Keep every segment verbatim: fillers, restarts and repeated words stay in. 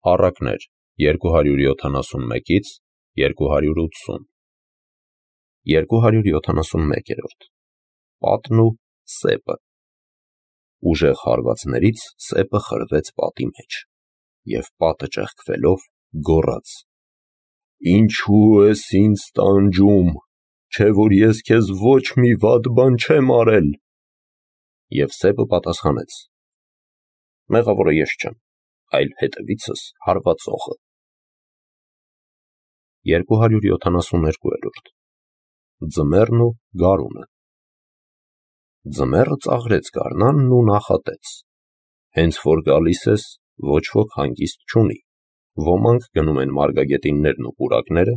Առակներ երկու հարյուր յոթանասունմեկից երկու հարյուր ութսուն երկու հարյուր յոթանասունմեկերորդ Պատն ու սեպը Ուժեղ հարվածներից սեպը խրվեց պատի մեջ, և պատը ճեղքվելով գոռաց. «Ինչու ես ինձ տանջում, չէ՞ որ ես քեզ ոչ մի վատ բան չեմ արել»։ Եվ սեպը պատասխանեց. «Մեղավորը ես չեմ, այլ հետևիցս հարվածողը»։ երկու հարյուր յոթանասուներկուերորդ Ձմեռն ու գարունը Ձմեռը ծաղրեց գարնանն ու նախատեց. հենց որ գալիս ես, ոչ ոք հանգիստ չունի, ոմանք գնում են մարգագետիններն ու պուրակները,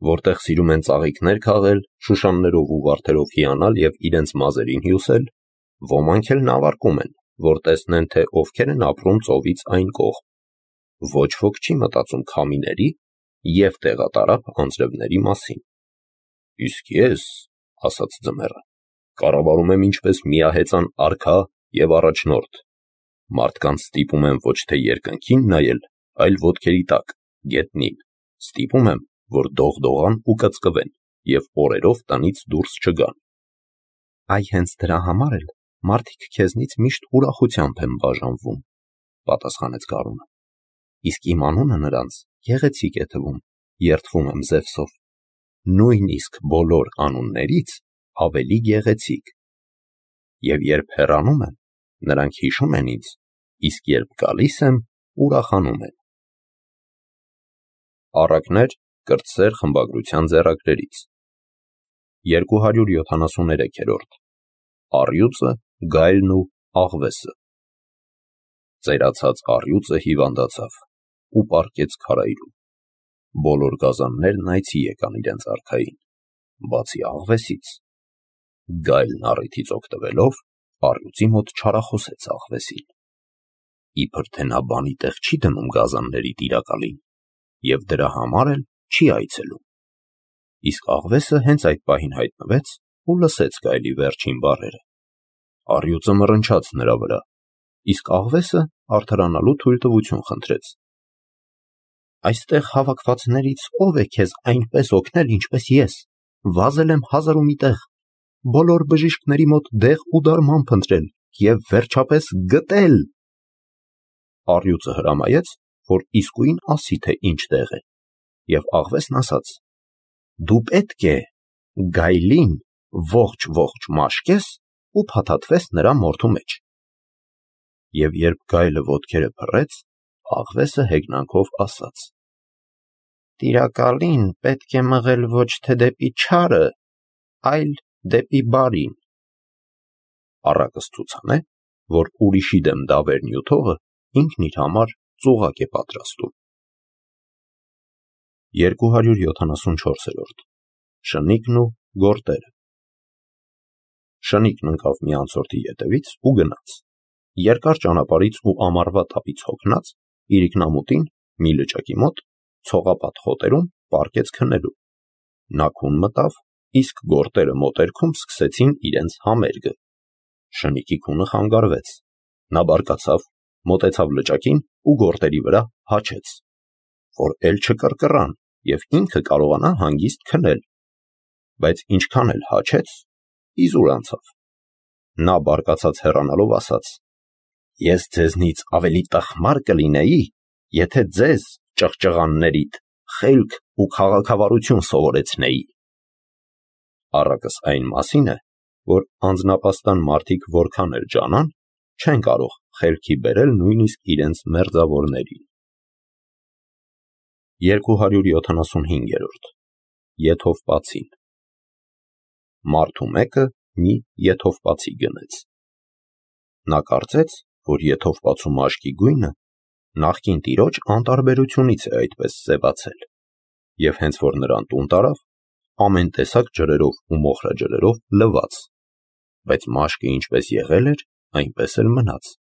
որտեղ սիրում են ծաղիկներ քաղել, շուշաններով ու վարդերով հիանալ և իրենց մազերին հյուսել, ոմանք էլ նավարկում են, որ տեսնեն, թե ովքեր են ապրում ծովից այն կողմ, ոչ ոք չի մտածում քամիների և տեղատարափ անձրևների մասին։ Իսկ ես, ասաց ձմեռը, կառավարում եմ ինչպես միահեծան արքա և առաջնորդ, մարդկանց ստիպում եմ ոչ թե երկնքին նայել, այլ ոտքերի տակ, գետնին, ստիպում եմ, որ դողդողան ու կծկվեն և օրերով տնից դուրս չգան։ Այ հենց դրա համար էլ մարդիկ քեզնից միշտ ուրախությամբ են բաժանվում, պատասխանեց գարունը, իսկ իմ անունը նրանց գեղեցիկ է թվում, երդվում եմ Զևսով, նույնիսկ բոլոր անուններից ավելի գեղեցիկ։ Եվ երբ հեռանում եմ, նրանք հիշում են ինձ, իսկ երբ գալիս եմ, ուրախանում են։ Առակներ կրտսեր խմբագրության ձեռագրերից երկու հարյուր յոթանասուներեքերորդ Առյուծը, գայլն ու աղվեսը Ծերացած առյուծը հիվանդացավ ու պառկեց քարայրում։ Բոլոր գազաններն այցի եկան իրենց արքային, բացի աղվեսից։ Գայլն առիթից օգտվելով առյուծի մոտ չարախոսեց աղվեսին, իբր թե նա բանի տեղ չի դնում գազանների տիրակալին և դրա համար էլ չի այցելում։ Իսկ աղվեսը հենց այդ պահին հայտնվեց ու լսեց գայլի վերջին բառերը։ Առյուծը մռնչաց նրա վրա, իսկ աղվեսը արդարանալու թույլտվություն խնդրեց։ Այստեղ հավաքվածներից ո՞վ է քեզ այնպես օգնել, ինչպես ես, վազել եմ հազար ու մի տեղ, բոլոր բժիշկների մոտ դեղ ու դարման փնտրել և վերջապես գտել։ Առյուծը հրամայեց, որ իսկույն ասի, թե ինչ տեղ է, և աղվեսն ասաց. դու պետք է գայլին ողջ-ողջ մաշկես ու փաթաթվես նրա մորթու մեջ։ Եվ երբ գայլը ոտքերը փռեց, աղվեսը հեգնանքով ասաց. տիրակալին պետք է մղել ոչ թե դեպի չարը, այլ դեպի բարին։ Առակը ցուցանե, որ ուրիշի դեմ դավեր նյութողը ինքն իր համար ծուղակ է պատրաստում։ երկու հարյուր յոթանասունչորսերորդ Շնիկն ու գորտերը Շնիկն ընկավ մի անցորդի ետևից ու գնաց, երկար ճանապարհից ու ամառվա տապից հոգնած, իրիկնամուտին մի լճակի մոտ ցողապատ խոտերում պառկեց քնելու։ Նա քուն մտավ, իսկ գորտերը մոտերքում սկսեցին իրենց համերգը։ Շնիկի քունը խանգարվեց, նա բարկացավ, մոտեցավ լճակին ու գորտերի վրա հաչեց, որ էլ չկռկռան և ինքը կարողանա հանգիստ քնել, բայց ինչքան էլ հաչեց, իզուր անցավ։ Նա բարկացած հեռանալով ասաց. ես ձեզնից ավելի տխմար կլինեի, եթե ձեզ, ճղճղաններիդ, խելք ու քաղաքավարություն սովորեցնեի։ Առակս այն մասին է, որ անձնապաստան մարդիկ որքան էլ ջանան, չեն կարող խելքի բերել նույնիսկ իրենց մերձավորներին։ երկու հարյուր յոթանասունհինգերորդ Եթովպացին Մարդու մեկը մի եթովպացի գնեց։ Նա կարծեց, որ եթովպացու մաշկի գույնը նախկին տիրոջ անտարբերությունից է այդպես սևացել, և հենց որ նրան տուն տարավ, ամեն տեսակ ջրերով ու մոխրաջրերով լվաց, բայց մաշկը ինչպես եղել էր, այնպես էլ մնաց,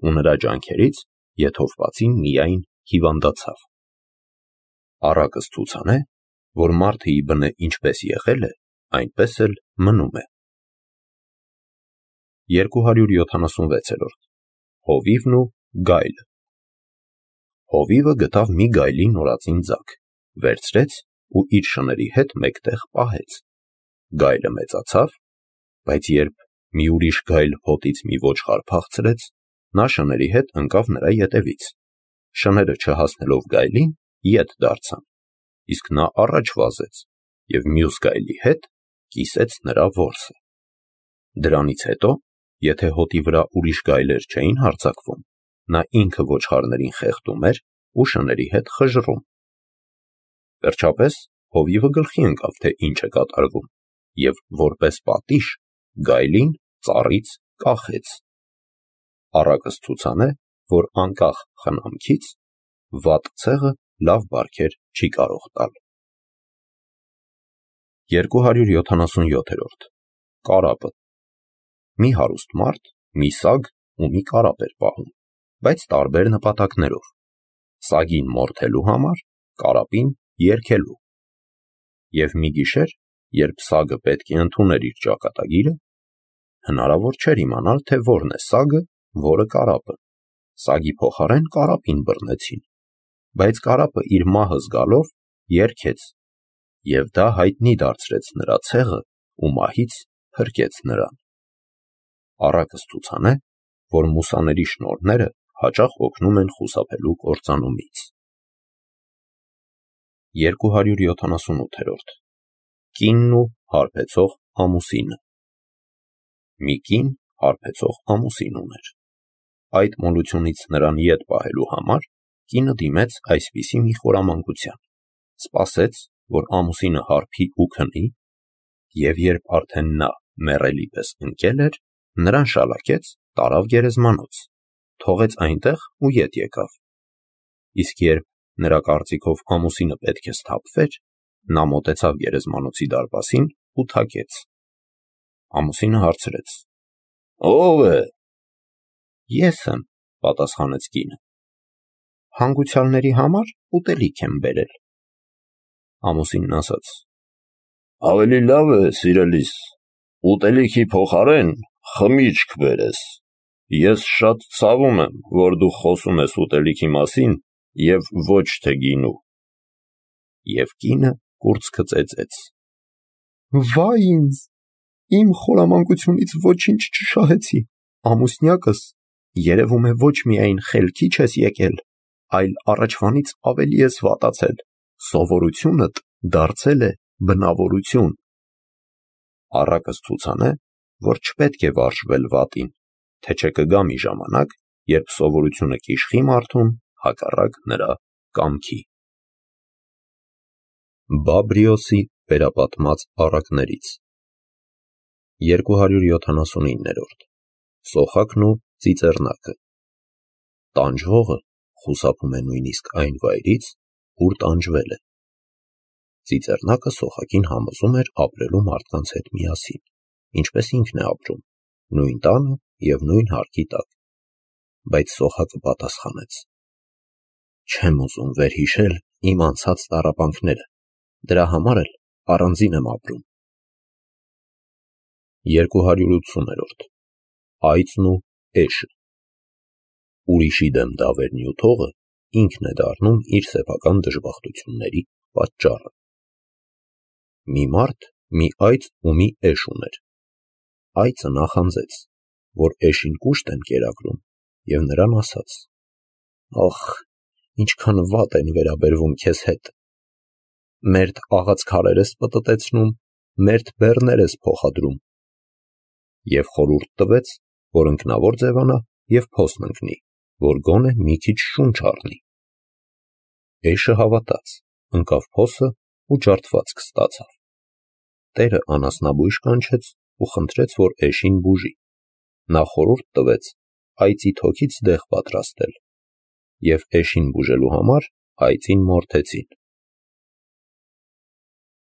ու նրա ջանքերից եթովպացին միայն հիվանդացավ։ Առակս ցուցանե, որ մարդը ի բնե ինչպես եղել է, այնպես էլ մնում է։ երկու հարյուր յոթանասունվեցերորդ Հովիվն ու գայլը Հովիվը գտավ մի գայլի նորածին ձագ, վերցրեց ու իր շների հետ մեկտեղ պահեց։ Գայլը մեծացավ, բայց երբ մի ուրիշ գայլ հոտից մի ոչխար փախցրեց, նա շների հետ ընկավ նրա ետևից։ Շները չհասնելով գայլին, ետ դարձան, իսկ նա առաջ վազեց և մյուս գայլի հետ կիսեց նրա որսը։ Դրանից հետո, եթե հոտի վրա ուրիշ գայլեր չէին հարձակվում, նա ինքը ոչխարներին խեղդում էր ու շների հետ խժռում։ Վերջապես հովիվը գլխի ընկավ, թե ինչ է կատարվում, և որպես պատիժ գայլին ծառից կախեց։ Առակս ցուցան է, որ անկախ խնամքից վատ ցեղը լավ բարքեր չի կարող տալ։ երկու հարյուր յոթանասունյոթերորդ Կարապը։ Մի հարուստ մարդ մի սագ ու մի կարապ էր պահում, բայց տարբեր նպատակներով. սագին մորթելու համար, կարապին երգելու։ Եվ մի գիշեր, երբ սագը պետք է ընդուներ իր ճակատագիրը, հնարավոր չէր իմանալ, թե որն է սագը, որը կարապը։ Սագի փոխարեն կարապին բռնեցին, բայց կարապը իր մահը զգալով երգեց, և դա հայտնի դարձրեց նրա ցեղը ու մահից փրկեց նրան։ Առակս ցուցան է, որ մուսաների շնորհները հաճախ օգնում են խուսափելու կործանումից։ երկու հարյուր յոթանասունութերորդ Կինն ու հարբեցող ամուսինը։ Մի կին հարբեցող ամուսին ուներ։ Այդ մոլությունից նրան ետ պահելու համար կինը դիմեց այսպիսի մի խորամանկության. սպասեց, որ ամուսինը հարբի ու քնի, և երբ արդեն նա մեռելի պես ընկել էր, նրան շալաքեց, տարավ գերեզմանոց, թողեց այնտեղ ու ետ եկավ։ Իսկ երբ նրա կարծիքով ամուսինը պետք է սթափվեր, նա մոտեցավ գերեզմանոցի դարպասին ու թակեց։ Ամուսինը հարցրեց. «Ո՞վ է»։ «Ես եմ», պատասխանեց կինը։ «Հանգուցյալների համար ուտելիք եմ բերել»։ Ամուսինն ասաց. «Ավելի լավ է, սիրելիս, ուտելիքի փոխարեն խմիչք բերես։ Ես շատ ցավում եմ, որ դու խոսում ես ուտելիքի մասին և ոչ թե գինու»։ Եվ կինը կուրծքը ծեծեց. «Վա՜յ ինձ, իմ խորամանկությունից ոչինչ չշահեցի, ամուսնյակս, երևում է, ոչ միայն խելքի չես եկել, այլ առաջվանից ավելի ես վատացել, սովորությունդ դարձել է բնավորություն»։ Առակս ցուցան է, որ չպետք է վարժվել վատին, թե չէ կգա մի ժամանակ, երբ սովորությունը կիշխի մարդուն հակառակ նրա կամքի։ Բաբրիոսի վերապատմած առակներից երկու հարյուր յոթանասունիններորդ Սոխակն ու ծիծեռնակը։ Տանջվողը խուսափում է նույնիսկ այն վայրից, ուր տանջվել է։ Ծիծեռնակը Սոխակին համոզում էր ապրելու մարդկանց հետ միասին, ինչպես ինքն է ապրում, նույն տանը և նույն հարկի տակ։ Բայց Սոխակը պատասխանեց. «Չեմ ուզում վերհիշել իմ անցած տառապանքները, դրա համար էլ առանձին եմ ապրում»։ երկու հարյուր ութսուներորդ Այծն ու էշը։ Ուրիշի դեմ դավեր նյութողը ինքն է դառնում իր սեփական դժբախտությունների պատճառը։ Մի մարդ մի այծ ու մի էշ ուներ։ Այծը նախանձեց, որ էշին կուշտ են կերակրում, և նրան ասաց. «Ախ, ինչքան վատ են վերաբերվում քեզ հետ. մերթ աղացքարեր ես պտտեցնում, մերթ բեռներ ես փոխադրում»։ Եվ խորհուրդ տվեց, որ ընկնավոր ձևանա և փոսն ընկնի, որ գոնե մի քիչ շունչ առնի։ Էշը հավատաց, ընկավ փոսը ու ջարդվածք ստացավ։ Տերը անասնաբույժ կանչեց ու խնդրեց, որ էշին բուժի։ Նա խորհուրդ տվեց այծի թոքից դեղ պատրաստել, և էշին բուժելու համար այծին մորթեցին։